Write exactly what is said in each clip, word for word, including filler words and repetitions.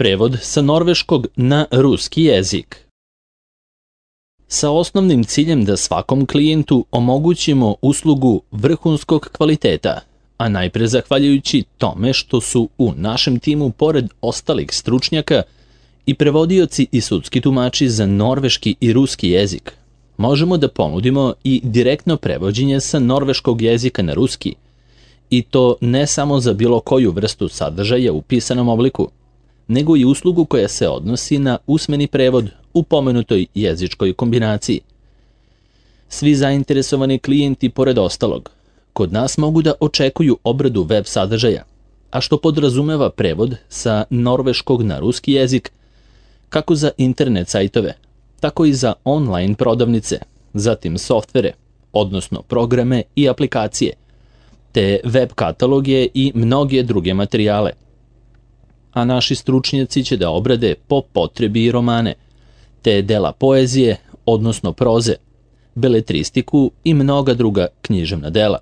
Prevod sa norveškog na ruski jezik. Sa osnovnim ciljem da svakom klijentu omogućimo uslugu vrhunskog kvaliteta, a najpre zahvaljujući tome što su u našem timu pored ostalih stručnjaka i prevodioci i sudski tumači za norveški i ruski jezik, možemo da ponudimo i direktno prevođenje sa norveškog jezika na ruski, i to ne samo za bilo koju vrstu sadržaja u pisanom obliku, nego i uslugu koja se odnosi na usmeni prevod u pomenutoj jezičkoj kombinaciji. Svi zainteresovani klijenti, pored ostalog, kod nas mogu da očekuju obradu web sadržaja, a što podrazumeva prevod sa norveškog na ruski jezik, kako za internet sajtove, tako i za online prodavnice, zatim softvere, odnosno programe i aplikacije, te web kataloge i mnoge druge materijale. A naši stručnjaci će da obrade po potrebi i romane, te dela poezije, odnosno proze, beletristiku i mnoga druga književna dela.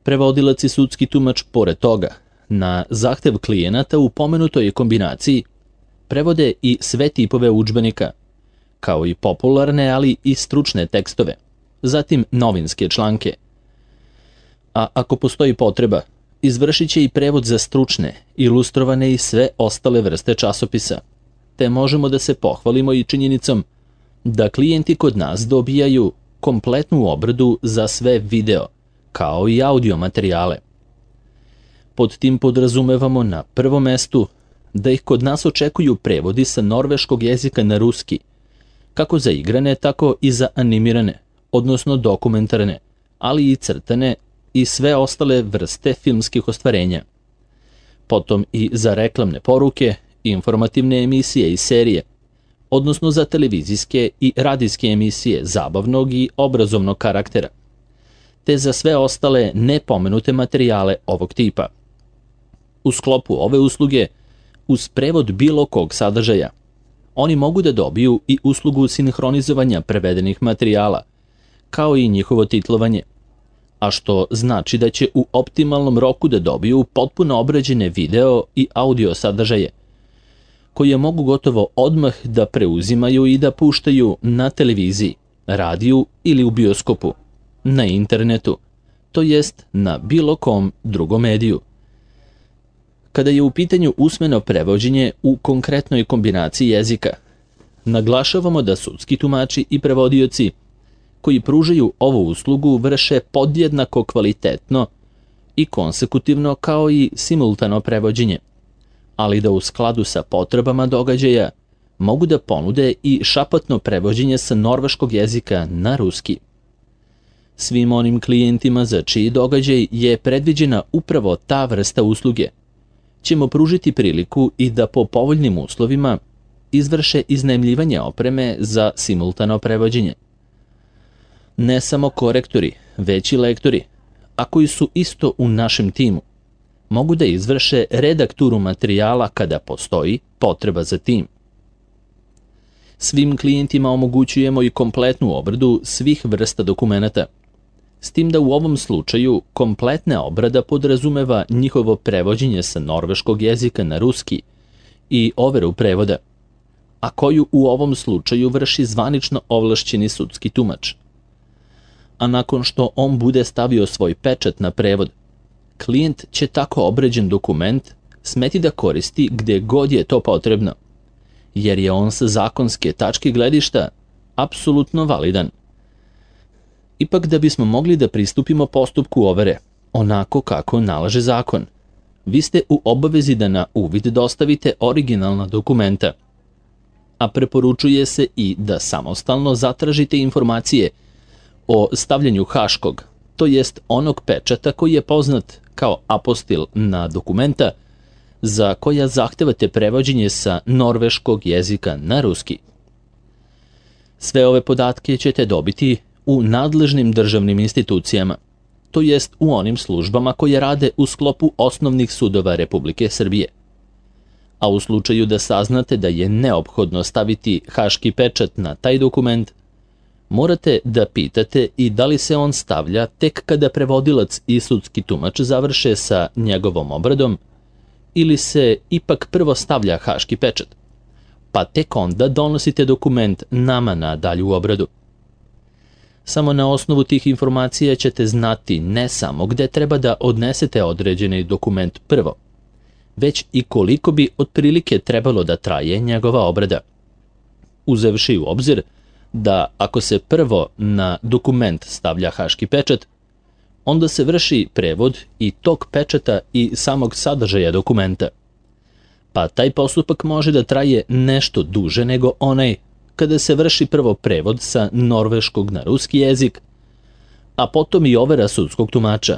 Prevodilac i sudski tumač, pored toga, na zahtev klijenata u pomenutoj kombinaciji, prevode i sve tipove udžbenika, kao i popularne, ali i stručne tekstove, zatim novinske članke. A ako postoji potreba, izvršit će i prevod za stručne, ilustrovane i sve ostale vrste časopisa, te možemo da se pohvalimo i činjenicom da klijenti kod nas dobijaju kompletnu obradu za sve video, kao i audio materijale. Pod tim podrazumevamo na prvom mestu da ih kod nas očekuju prevodi sa norveškog jezika na ruski, kako za igrane, tako i za animirane, odnosno dokumentarne, ali i crtane i sve ostale vrste filmskih ostvarenja. Potom i za reklamne poruke, informativne emisije i serije, odnosno za televizijske i radijske emisije zabavnog i obrazovnog karaktera, te za sve ostale nepomenute materijale ovog tipa. U sklopu ove usluge, uz prevod bilo kog sadržaja, oni mogu da dobiju i uslugu sinhronizovanja prevedenih materijala, kao i njihovo titlovanje, a što znači da će u optimalnom roku da dobiju potpuno obrađene video i audio sadržaje, koje mogu gotovo odmah da preuzimaju i da puštaju na televiziji, radiju ili u bioskopu, na internetu, to jest na bilo kom drugom mediju. Kada je u pitanju usmeno prevođenje u konkretnoj kombinaciji jezika, naglašavamo da sudski tumači i prevodioci koji pružaju ovu uslugu vrše podjednako kvalitetno i konsekutivno kao i simultano prevođenje, ali da u skladu sa potrebama događaja mogu da ponude i šapatno prevođenje sa norveškog jezika na ruski. Svim onim klijentima za čiji događaj je predviđena upravo ta vrsta usluge ćemo pružiti priliku i da po povoljnim uslovima izvrše iznajmljivanje opreme za simultano prevođenje. Ne samo korektori, već i lektori, a koji su isto u našem timu, mogu da izvrše redakturu materijala kada postoji potreba za tim. Svim klijentima omogućujemo i kompletnu obradu svih vrsta dokumenata, s tim da u ovom slučaju kompletna obrada podrazumeva njihovo prevođenje sa norveškog jezika na ruski i overu prevoda, a koju u ovom slučaju vrši zvanično ovlašćeni sudski tumač. A nakon što on bude stavio svoj pečat na prevod, klijent će tako obrađen dokument smeti da koristi gde god je to potrebno, jer je on sa zakonske tačke gledišta apsolutno validan. Ipak, da bismo mogli da pristupimo postupku overe, onako kako nalaže zakon, vi ste u obavezi da na uvid dostavite originalna dokumenta, a preporučuje se i da samostalno zatražite informacije o stavljanju haškog, to jest onog pečata koji je poznat kao apostil na dokumenta, za koja zahtevate prevođenje sa norveškog jezika na ruski. Sve ove podatke ćete dobiti u nadležnim državnim institucijama, to jest u onim službama koje rade u sklopu osnovnih sudova Republike Srbije. A u slučaju da saznate da je neophodno staviti haški pečat na taj dokument, morate da pitate i da li se on stavlja tek kada prevodilac i sudski tumač završe sa njegovom obradom ili se ipak prvo stavlja haški pečat, pa tek onda donosite dokument nama na dalju obradu. Samo na osnovu tih informacija ćete znati ne samo gde treba da odnesete određeni dokument prvo, već i koliko bi otprilike trebalo da traje njegova obrada. Uzevši u obzir da ako se prvo na dokument stavlja haški pečat, onda se vrši prevod i tog pečata i samog sadržaja dokumenta. Pa taj postupak može da traje nešto duže nego onaj kada se vrši prvo prevod sa norveškog na ruski jezik, a potom i overa sudskog tumača,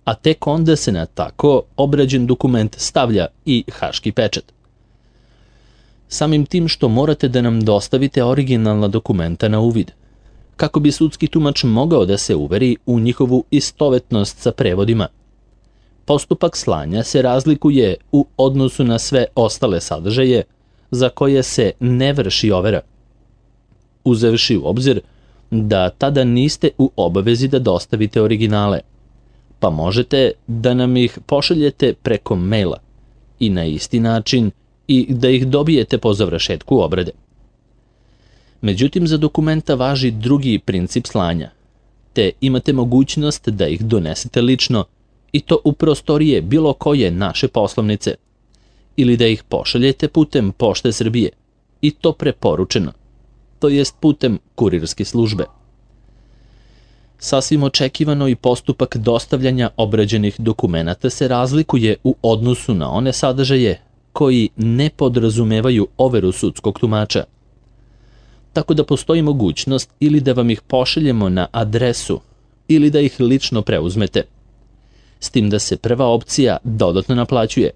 a tek onda se na tako obrađen dokument stavlja i haški pečat. Samim tim što morate da nam dostavite originalna dokumenta na uvid, kako bi sudski tumač mogao da se uveri u njihovu istovetnost sa prevodima. Postupak slanja se razlikuje u odnosu na sve ostale sadržaje za koje se ne vrši overa, uzevši u obzir da tada niste u obavezi da dostavite originale, pa možete da nam ih pošaljete preko maila i na isti način i da ih dobijete po završetku obrade. Međutim, za dokumenta važi drugi princip slanja, te imate mogućnost da ih donesete lično i to u prostorije bilo koje naše poslovnice, ili da ih pošaljete putem Pošte Srbije, i to preporučeno, to jest putem kurirske službe. Sasvim očekivano i postupak dostavljanja obrađenih dokumenata se razlikuje u odnosu na one sadržaje koji ne podrazumevaju overu sudskog tumača. Tako da postoji mogućnost ili da vam ih pošaljemo na adresu ili da ih lično preuzmete. S tim da se prva opcija dodatno naplaćuje,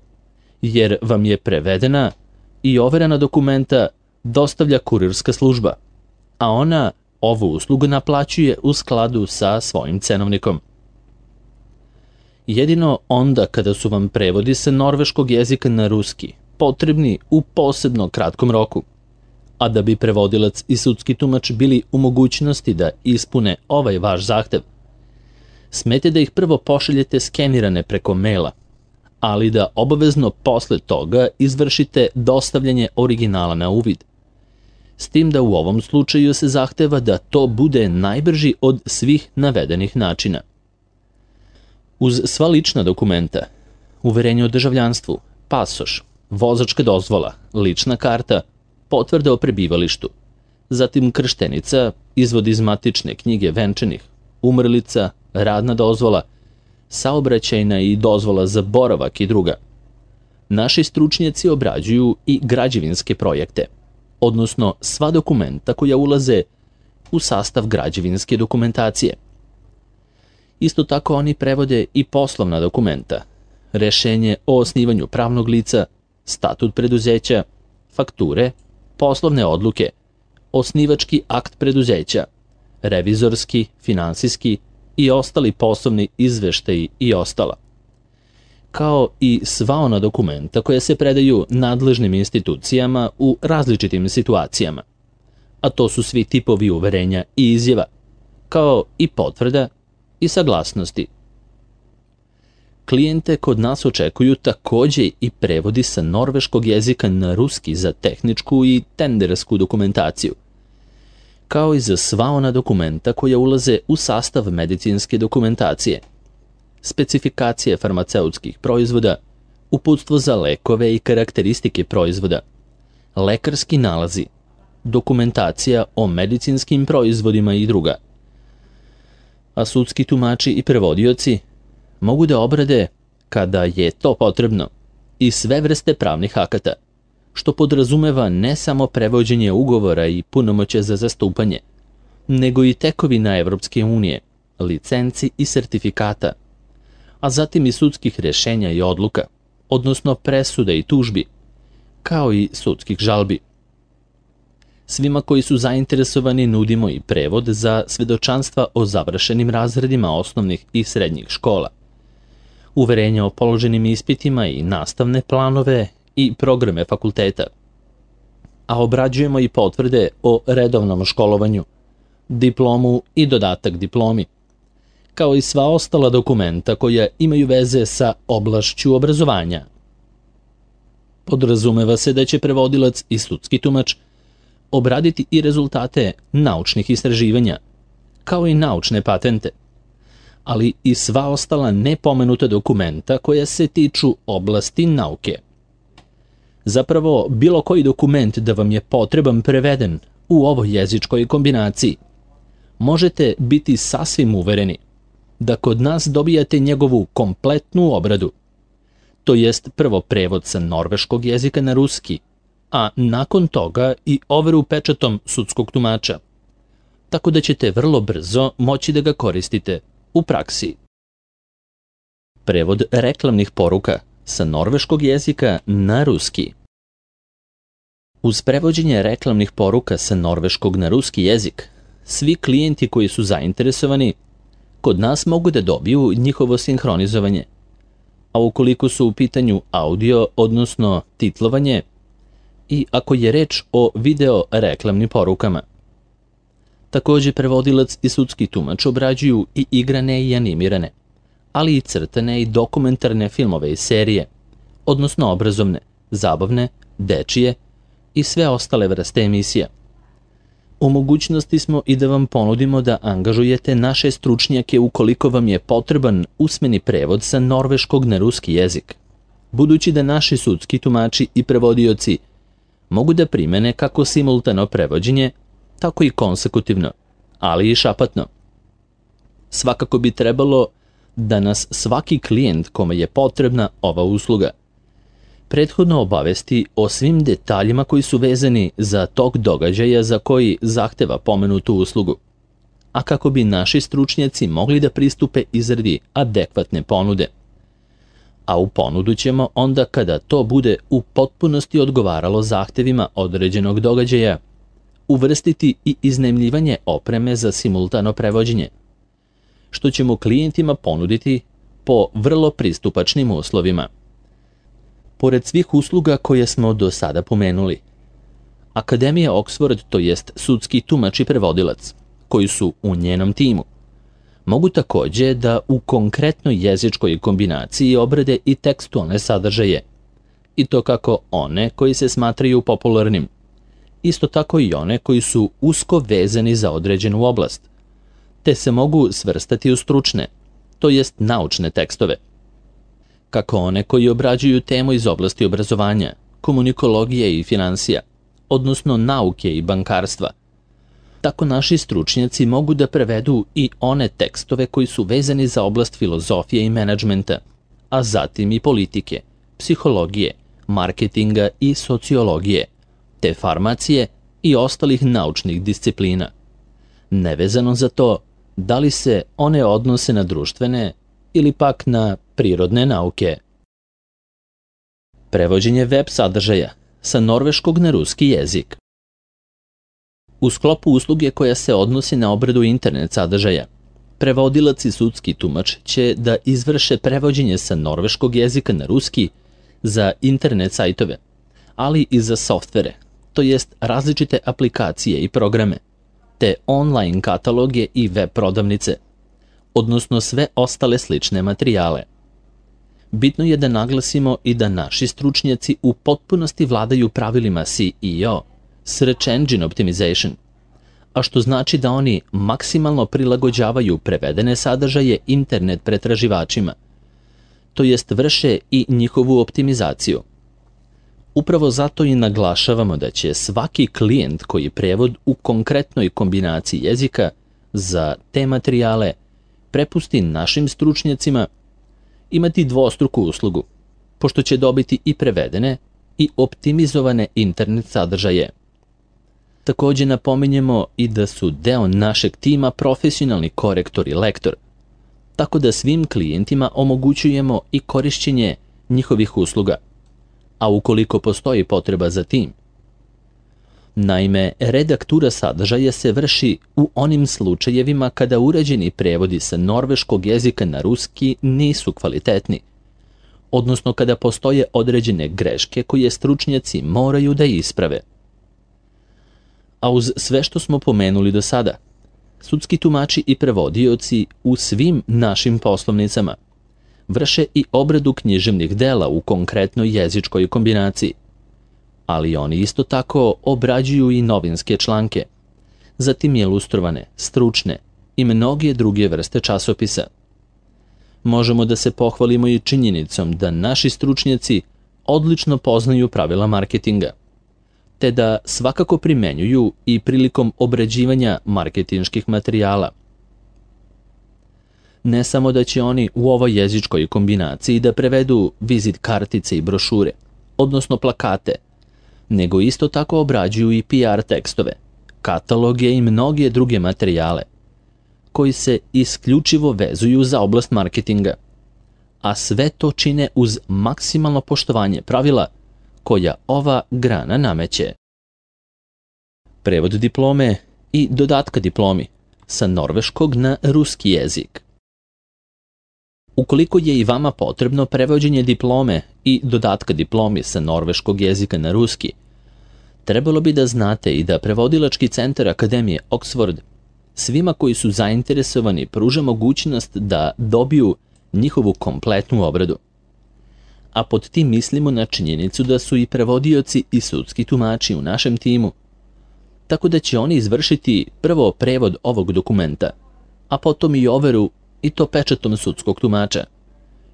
jer vam je prevedena i overena dokumenta dostavlja kurirska služba, a ona ovu uslugu naplaćuje u skladu sa svojim cenovnikom. Jedino onda kada su vam prevodi sa norveškog jezika na ruski potrebni u posebno kratkom roku, a da bi prevodilac i sudski tumač bili u mogućnosti da ispune ovaj vaš zahtev, smete da ih prvo pošaljete skenirane preko maila, ali da obavezno posle toga izvršite dostavljanje originala na uvid. S tim da u ovom slučaju se zahteva da to bude najbrži od svih navedenih načina. Uz sva lična dokumenta, uverenje o državljanstvu, pasoš, vozačka dozvola, lična karta, potvrda o prebivalištu, zatim krštenica, izvod iz matične knjige venčanih, umrlica, radna dozvola, saobraćajna i dozvola za boravak i druga. Naši stručnjaci obrađuju i građevinske projekte, odnosno sva dokumenta koja ulaze u sastav građevinske dokumentacije. Isto tako oni prevode i poslovna dokumenta, rešenje o osnivanju pravnog lica, statut preduzeća, fakture, poslovne odluke, osnivački akt preduzeća, revizorski, finansijski i ostali poslovni izveštaji i ostala, kao i sva ona dokumenta koja se predaju nadležnim institucijama u različitim situacijama, a to su svi tipovi uverenja i izjava, kao i potvrda i saglasnosti. Klijente kod nas očekuju takođe i prevodi sa norveškog jezika na ruski za tehničku i tendersku dokumentaciju, kao i za sva ona dokumenta koja ulaze u sastav medicinske dokumentacije, specifikacije farmaceutskih proizvoda, uputstvo za lekove i karakteristike proizvoda, lekarski nalazi, dokumentacija o medicinskim proizvodima i druga. A sudski tumači i prevodioci mogu da obrade, kada je to potrebno, i sve vrste pravnih akata, što podrazumeva ne samo prevođenje ugovora i punomoćja za zastupanje, nego i tekovina Evropske unije, licenci i sertifikata, a zatim i sudskih rešenja i odluka, odnosno presuda i tužbi, kao i sudskih žalbi. Svima koji su zainteresovani nudimo i prevod za svedočanstva o završenim razredima osnovnih i srednjih škola, uverenja o položenim ispitima i nastavne planove i programe fakulteta, a obrađujemo i potvrde o redovnom školovanju, diplomu i dodatak diplomi, kao i sva ostala dokumenta koja imaju veze sa oblašću obrazovanja. Podrazumeva se da će prevodilac i sudski tumač obraditi i rezultate naučnih istraživanja, kao i naučne patente, ali i sva ostala nepomenuta dokumenta koja se tiču oblasti nauke. Zapravo, bilo koji dokument da vam je potreban preveden u ovoj jezičkoj kombinaciji, možete biti sasvim uvereni da kod nas dobijate njegovu kompletnu obradu, to jest prvo prevod sa norveškog jezika na ruski, a nakon toga i overu pečatom sudskog tumača, tako da ćete vrlo brzo moći da ga koristite u praksi. Prevod reklamnih poruka sa norveškog jezika na ruski. Uz prevođenje reklamnih poruka sa norveškog na ruski jezik, svi klijenti koji su zainteresovani kod nas mogu da dobiju njihovo sinhronizovanje, a ukoliko su u pitanju audio, odnosno titlovanje, i ako je reč o video reklamnim porukama. Takođe, prevodilac i sudski tumač obrađuju i igrane i animirane, ali i crtane i dokumentarne filmove i serije, odnosno obrazovne, zabavne, dečije i sve ostale vrste emisija. U mogućnosti smo i da vam ponudimo da angažujete naše stručnjake ukoliko vam je potreban usmeni prevod sa norveškog na ruski jezik, budući da naši sudski tumači i prevodioci mogu da primene kako simultano prevođenje, tako i konsekutivno, ali i šapatno. Svakako bi trebalo da nas svaki klijent kome je potrebna ova usluga prethodno obavesti o svim detaljima koji su vezani za tok događaja za koji zahteva pomenutu uslugu, a kako bi naši stručnjaci mogli da pristupe izradi adekvatne ponude. A u ponudu ćemo onda kada to bude u potpunosti odgovaralo zahtevima određenog događaja, uvrstiti i iznajmljivanje opreme za simultano prevođenje, što ćemo klijentima ponuditi po vrlo pristupačnim uslovima. Pored svih usluga koje smo do sada pomenuli, Akademija Oxford, to jest sudski tumač i prevodilac, koji su u njenom timu, mogu takođe da u konkretnoj jezičkoj kombinaciji obrade i tekstualne sadržaje, i to kako one koji se smatraju popularnim, isto tako i one koji su usko vezani za određenu oblast, te se mogu svrstati u stručne, to jest naučne tekstove, kako one koji obrađuju temu iz oblasti obrazovanja, komunikologije i finansija, odnosno nauke i bankarstva. Tako naši stručnjaci mogu da prevedu i one tekstove koji su vezani za oblast filozofije i menadžmenta, a zatim i politike, psihologije, marketinga i sociologije, te farmacije i ostalih naučnih disciplina, nevezano za to da li se one odnose na društvene ili pak na prirodne nauke. Prevođenje web sadržaja sa norveškog na ruski jezik. U sklopu usluge koja se odnosi na obradu internet sadržaja, prevodilac i sudski tumač će da izvrše prevođenje sa norveškog jezika na ruski za internet sajtove, ali i za softvere, to jest različite aplikacije i programe, te online kataloge i web prodavnice, odnosno sve ostale slične materijale. Bitno je da naglasimo i da naši stručnjaci u potpunosti vladaju pravilima S E O, Search Engine Optimization, a što znači da oni maksimalno prilagođavaju prevedene sadržaje internet pretraživačima, to jest vrše i njihovu optimizaciju. Upravo zato i naglašavamo da će svaki klijent koji prevod u konkretnoj kombinaciji jezika za te materijale prepusti našim stručnjacima imati dvostruku uslugu, pošto će dobiti i prevedene i optimizovane internet sadržaje. Takođe napominjemo i da su deo našeg tima profesionalni korektor i lektor, tako da svim klijentima omogućujemo i korišćenje njihovih usluga, a ukoliko postoji potreba za tim. Naime, redaktura sadržaja se vrši u onim slučajevima kada urađeni prevodi sa norveškog jezika na ruski nisu kvalitetni, odnosno kada postoje određene greške koje stručnjaci moraju da isprave. A uz sve što smo pomenuli do sada, sudski tumači i prevodioci u svim našim poslovnicama vrše i obradu književnih dela u konkretnoj jezičkoj kombinaciji, ali oni isto tako obrađuju i novinske članke, zatim ilustrovane, stručne i mnoge druge vrste časopisa. Možemo da se pohvalimo i činjenicom da naši stručnjaci odlično poznaju pravila marketinga, te da svakako primenjuju i prilikom obrađivanja marketinških materijala. Ne samo da će oni u ovoj jezičkoj kombinaciji da prevedu vizit kartice i brošure, odnosno plakate, nego isto tako obrađuju i P R tekstove, kataloge i mnoge druge materijale, koji se isključivo vezuju za oblast marketinga, a sve to čine uz maksimalno poštovanje pravila koja ova grana nameće. Prevod diplome i dodatka diplomi sa norveškog na ruski jezik. Ukoliko je i vama potrebno prevođenje diplome i dodatka diplomi sa norveškog jezika na ruski, trebalo bi da znate i da Prevodilački centar Akademije Oxford svima koji su zainteresovani pruža mogućnost da dobiju njihovu kompletnu obradu. A pod tim mislimo na činjenicu da su i prevodioci i sudski tumači u našem timu, tako da će oni izvršiti prvo prevod ovog dokumenta, a potom i overu i to pečatom sudskog tumača,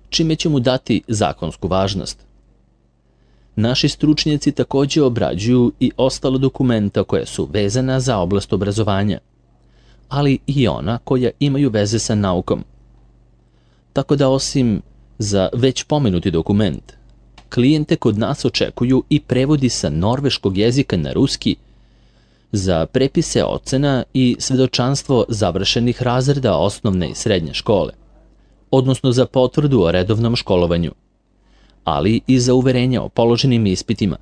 čime će mu dati zakonsku važnost. Naši stručnjaci također obrađuju i ostala dokumenta koja su vezana za oblast obrazovanja, ali i ona koja imaju veze sa naukom. Tako da osim za već pomenuti dokument, klijente kod nas očekuju i prevodi sa norveškog jezika na ruski za prepise ocena i svedočanstvo završenih razreda osnovne i srednje škole, odnosno za potvrdu o redovnom školovanju, ali i za uverenja o položenim ispitima,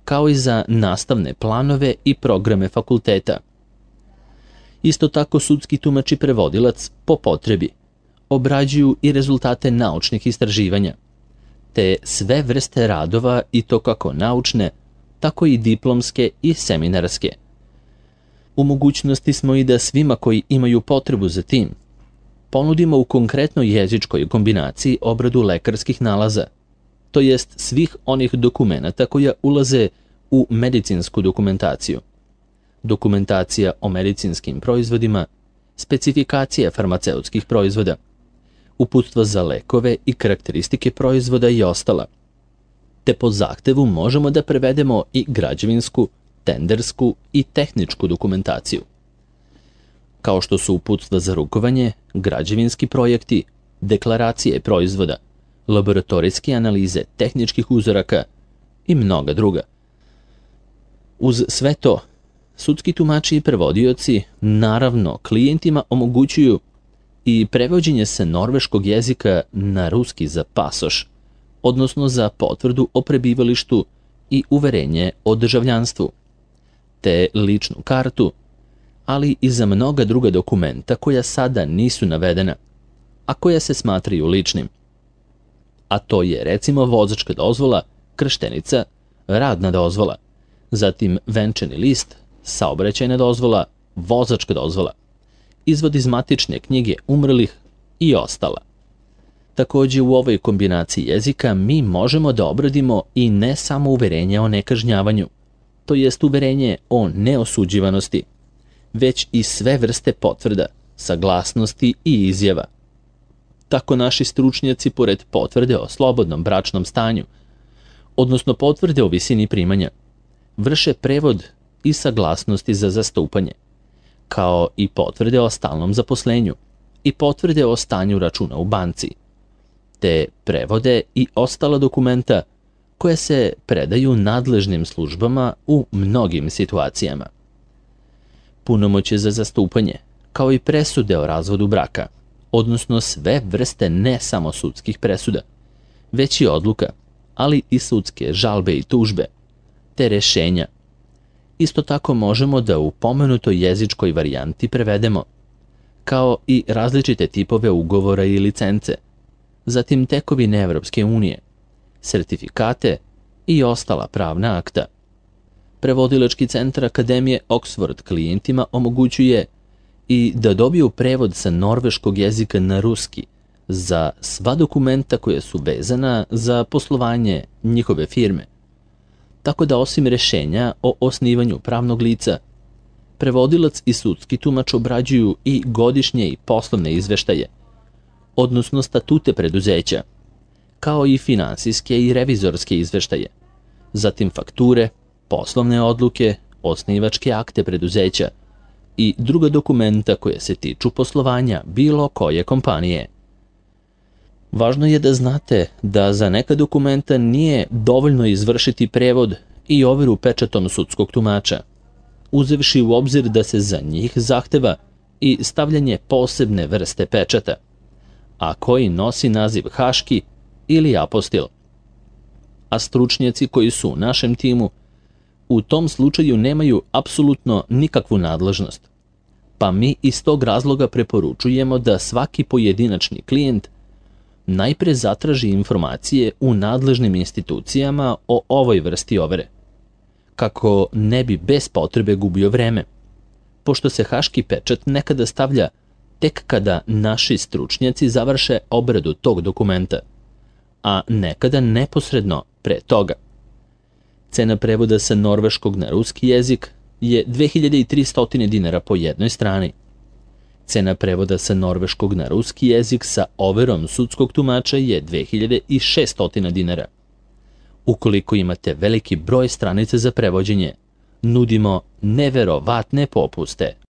kao i za nastavne planove i programe fakulteta. Isto tako sudski tumač i prevodilac po potrebi obrađuju i rezultate naučnih istraživanja, te sve vrste radova i to kako naučne, tako i diplomske i seminarske. U mogućnosti smo i da svima koji imaju potrebu za tim ponudimo u konkretnoj jezičkoj kombinaciji obradu lekarskih nalaza, to jest svih onih dokumenata koja ulaze u medicinsku dokumentaciju. Dokumentacija o medicinskim proizvodima, specifikacija farmaceutskih proizvoda, uputstva za lekove i karakteristike proizvoda i ostala. Te po zahtevu možemo da prevedemo i građevinsku, tendersku i tehničku dokumentaciju, kao što su uputstva za rukovanje, građevinski projekti, deklaracije proizvoda, laboratorijske analize tehničkih uzoraka i mnoga druga. Uz sve to, sudski tumači i prevodioci naravno klijentima omogućuju i prevođenje sa norveškog jezika na ruski za pasoš, odnosno za potvrdu o prebivalištu i uverenje o državljanstvu, te ličnu kartu, ali i za mnoga druga dokumenta koja sada nisu navedena, a koja se smatraju ličnim. A to je recimo vozačka dozvola, krštenica, radna dozvola, zatim venčani list, saobraćajna dozvola, vozačka dozvola, izvod iz matične knjige umrlih i ostala. Također u ovoj kombinaciji jezika mi možemo da obradimo i ne samo uverenje o nekažnjavanju, to jest uverenje o neosuđivanosti, već i sve vrste potvrda, saglasnosti i izjava. Tako naši stručnjaci pored potvrde o slobodnom bračnom stanju, odnosno potvrde o visini primanja, vrše prevod i saglasnosti za zastupanje, kao i potvrde o stalnom zaposlenju i potvrde o stanju računa u banci, te prevode i ostala dokumenta koje se predaju nadležnim službama u mnogim situacijama. Punomoćje za zastupanje, kao i presude o razvodu braka, odnosno sve vrste ne samo sudskih presuda, već i odluka, ali i sudske žalbe i tužbe, te rešenja. Isto tako možemo da u pomenutoj jezičkoj varijanti prevedemo, kao i različite tipove ugovora i licence, zatim tekovine Evropske unije, sertifikate i ostala pravna akta. Prevodilački centar Akademije Oxford klijentima omogućuje i da dobiju prevod sa norveškog jezika na ruski za sva dokumenta koja su vezana za poslovanje njihove firme, tako da osim rješenja o osnivanju pravnog lica, prevodilac i sudski tumač obrađuju i godišnje i poslovne izveštaje, odnosno statute preduzeća, kao i finansijske i revizorske izveštaje, zatim fakture, poslovne odluke, osnivačke akte preduzeća i druga dokumenta koje se tiču poslovanja bilo koje kompanije. Važno je da znate da za neka dokumenta nije dovoljno izvršiti prevod i overu pečatom sudskog tumača, uzevši u obzir da se za njih zahteva i stavljanje posebne vrste pečata, a koji nosi naziv haški ili apostil. A stručnjaci koji su u našem timu u tom slučaju nemaju apsolutno nikakvu nadležnost, pa mi iz tog razloga preporučujemo da svaki pojedinačni klijent najpre zatraži informacije u nadležnim institucijama o ovoj vrsti overe, kako ne bi bez potrebe gubio vreme, pošto se haški pečat nekada stavlja tek kada naši stručnjaci završe obradu tog dokumenta, a nekada neposredno pre toga. Cena prevoda sa norveškog na ruski jezik je dve hiljade tristo dinara po jednoj strani. Cena prevoda sa norveškog na ruski jezik sa overom sudskog tumača je dve hiljade šesto dinara. Ukoliko imate veliki broj stranica za prevođenje, nudimo neverovatne popuste